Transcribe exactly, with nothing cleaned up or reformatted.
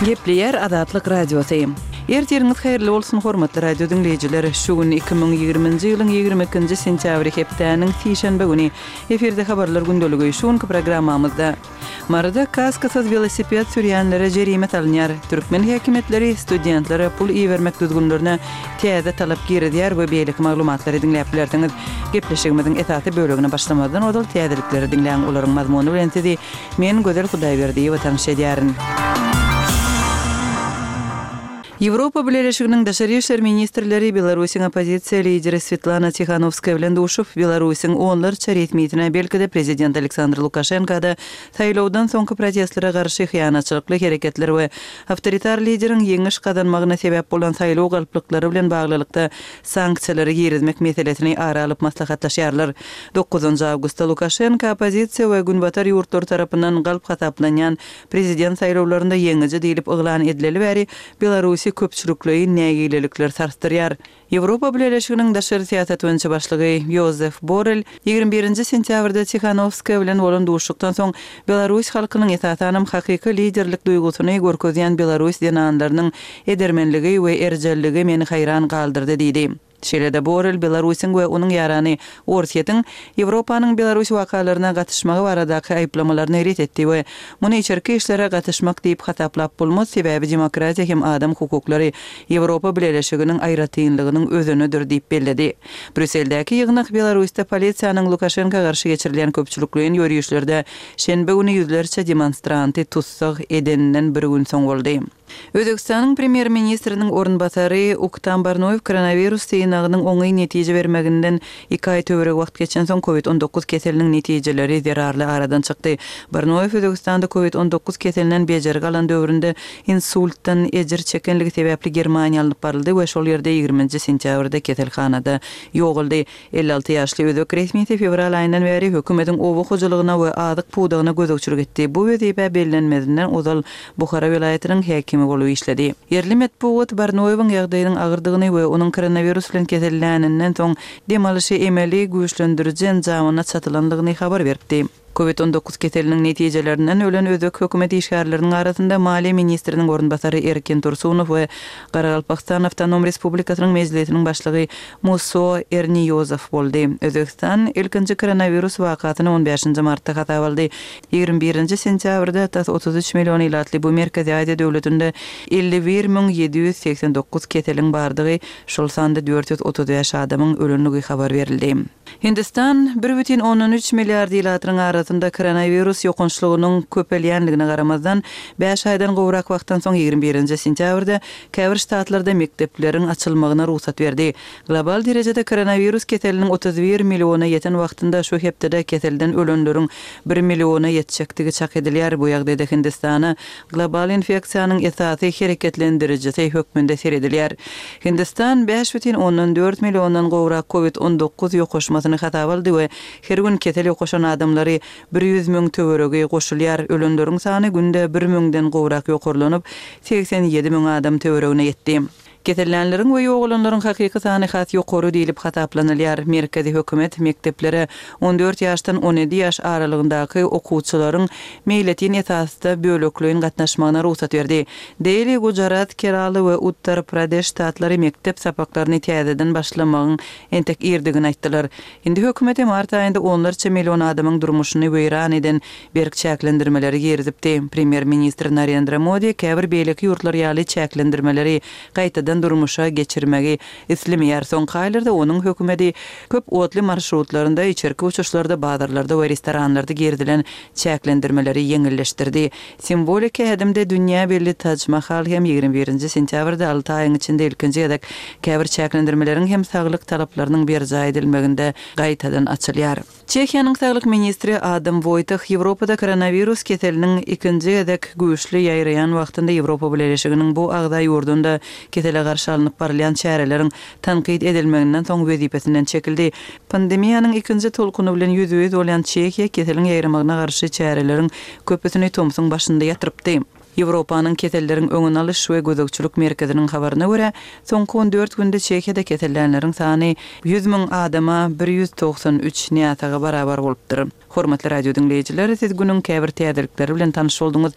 Gepleýär Azatlyk Radiosy. Ertiriňiz haýyrly bolsun, hormatly radio diňleýjiler. Şu gün iki müň ýigriminji ýylyň ýigrimi ikinji sentýabry hepdäniň sişenbe güni. Efirde habarlar gündeligi. Şu günki programmamyzda Maryda kaskasyz welosiped sürýänlere jerime salynýar. Türkmen häkimiýetleri studentlere pul ibermek düzgünlerine täze talap girizýär we beýleki maglumatlary diňläp bilersiňiz. Gepleşigimiziň esasy bölegine başlamazdan ozal täzelikleri diňläň, olaryň mazmuny bilen sizi men Gözel Hudaýberdiýewa tanyş edýärin. Ýewropa Bileleşiginiň daşary işler ministrleri Belarusyň oppozisiýa lideri Swetlana Tihanowskaýa bilen duşup, Belarusyň onlarça resmisine, belki-de prezident Aleksandr Lukaşenka-da saýlawdan soňky protestlere garşy hyýanatçylykly hereketler we awtoritar lideriň ýeňiş gazanmagyna sebäp bolan saýlaw galplyklary bilen baglylykda sanksiýalary girizmek meselesini ara alyp maslahatlaşýarlar. Dokuzynjy awgustda Lukaşenka oppozisiýa we günbatar ýurtlary tarapyndan galp hasaplanýan prezident saýlawlarynda ýeňiji diýlip yglan edileli bäri Belarusy köpçülikleýin nägilelikler sarsdyrýar. Ýewropa Bileleşiginiň daşary syýasat boýunça başlygy Ýozef Borrel ýigrimi birinji sentýabrda Tihanowskaýa bilen bolan duşuşykdan soň belarus halkynyň esasanam hakyky liderlik duýgusyny görkezýän belarus zenanlarynyň edermenligi we erjelligi meni haýran galdyrdy diýdi. Şeýle-de Borrel Belarusyň we onuň ýarany Orsýetiň Ýewropanyň Belarus wakalaryna gatyşmagy baradaky aýyplamalaryny ret etdi we muny içerki işlere gatyşmak diýip hasaplap bolmaz, sebäbi demokratiýa hem adam hukuklary Ýewropa Bileleşiginiň aýratynlygynyň özenidir diýip belledi. Brýusseldäki ýygnak Belarusda polisiýanyň Lukaşenka garşy geçirilýän köpçülikleýin ýörişlerde şenbe güni ýüzlerçe demonstranty tussag edeninden bir gün soň boldy. Özbegistanyň premýer-ministriniň orunbasary Uktam Barnoýew koronawirus synagynyň oňyn netije bermeginden iki aý töweregi wagt geçensoň covid on dokuz keseliniň netijeleri zerarly aradan çykdy. Barnoýew Özbegistanda covid on dokuz keselinden bejergi alan döwründe insultdan ejir çekenligi sebäpli Germaniýa alnyp baryldy we şol ýerde ýigriminji sentýabrda keselhanada ýogaldy. Elli alty ýaşly özbek resmisi fewral aýyndan bäri hökümetiň oba hojalygyna we azyk pudagyna gözegçilik etdi. Bu wezipä bellenmezinden ozal Buhara welaýatynyň häkimi bolup işledi. Ýerli metbugat Barnoýewiň ýagdaýynyň agyrdygyny we onuň koronawirus bilen keselläninden soň dem alyşy emeli güýçlendiriji enjamyna çatylandygyny habar beripdi. Covid on dokuz keseliniň netijelerinden ölen özbek hökümet işgärleriniň arasynda maliýe ministriniň orunbasary Erkin Tursunow we Garagalpagystan Awtonom Respublikasynyň Mejlisiniň başlygy Muso Erniýozow boldy. Özbegistan ilkinji koronawirus wakasyny on bäşinji martda hasaba aldy. Ýigrimi birinji sentýabrda tas otuz üç million ilatly bu Merkezi Aziýa döwletinde elli bir müň ýedi ýüz segsen dokuz keseliň bardygy, şol sanda dört ýüz otuz bäş adamyň ölendigi habar berildi. Hindistan bir bütin ondan üç milliard ilatynyň arasynda koronawirus ýokançlygynyň köpelýändigine garamazdan, bäş aýdan gowrak wagtdan soň ýigrimi birinji sentýabrda käbir ştatlarda mekdepleriň açylmagyna rugsat berdi. Global derejede koronawirus keseliniň otuz bir milliona ýeten wagtynda şu hepdede keselden ölenleriň bir milliona ýetjekdigi çak edilýär. Bu ýagdaýda Hindistana global infeksiýanyň esasy hereketlendirijisi hökmünde seredilýär. Hindistan bäş bütin ondan dört milliondan gowrak covid on dokuz ýokaşmasyny hasaba aldy we her gün kesel ýokaşan adamlary bir ýüz müň töweregi goşulýar. Ölenleriň sany günde bir müňden gowrak ýokarlanyp, segsen ýedi müň adam töweregine ýetdi. Kesellänleriň we ýogalanlaryň hakyky sany has ýokary diýlip hasaplanylýar. Merkezi hökümet mekdeplere on dört ýaşdan on ýedi ýaş aralygyndaky okuwçylaryň meýletin esasda bölekleýin gatnaşmagyna rugsat berdi. Deli, Gujarat, Kerala we Uttar Pradeş ştatlary mekdep sapaklaryny täzeden başlamagyň entek irdigini aýtdylar. Hindi hökümeti mart aýynda onlarça million adamyň durmuşyny weýran eden berk çäklendirmeleri girizipdi. Premýer-ministr Narendra Modi käbir beýleki ýurtlar ýaly çäklendirmeleri gaýtadan durmuşa geçirmegi islemeýär. Soňky aýlarda onuň hökümeti köp otly marşrutlarynda, içerki uçuşlarda, bazarlarda we restoranlarda girizilen çäklendirmeleri ýeňilleşdirdi. Simwoliki ädimde dünýä belli Taj Mahal hem ýigrimi birinji sentýabrda alty aýyň içinde ilkinji gezek käbir çäklendirmeleriň hem saglyk talaplarynyň berjaý edilmeginde gaýtadan açylýar. Çehiýanyň saglyk ministri Adam Woýtah Ýewropada koronawirus keseliniň ikinji gezek güýçli ýaýraýan wagtynda Ýewropa Bileleşiginiň bu agza ýurdunda kesele garşy alnyp barylýan çäreleriň tankyt edilmeginden soň wezipesinden çekildi. Pandemiýanyň ikinji tolkuny bilen ýüzbe-ýüz bolýan Çehiýa keseliň ýaýramagyna garşy çäreleriň köpüsini tomsuň başynda ýatyrypdy. Ýewropanyň keselleriň öňüni alyş we gözegçilik merkeziniň habaryna görä, soňky on dört günde Çehiýada kesellänleriň sany ýüz müň adama bir ýüz togsan üç näsaga barabar bolupdyr. Hormatly radio diňleýjiler, siz günüň käbir täzelikleri bilen tanyş bolduňyz.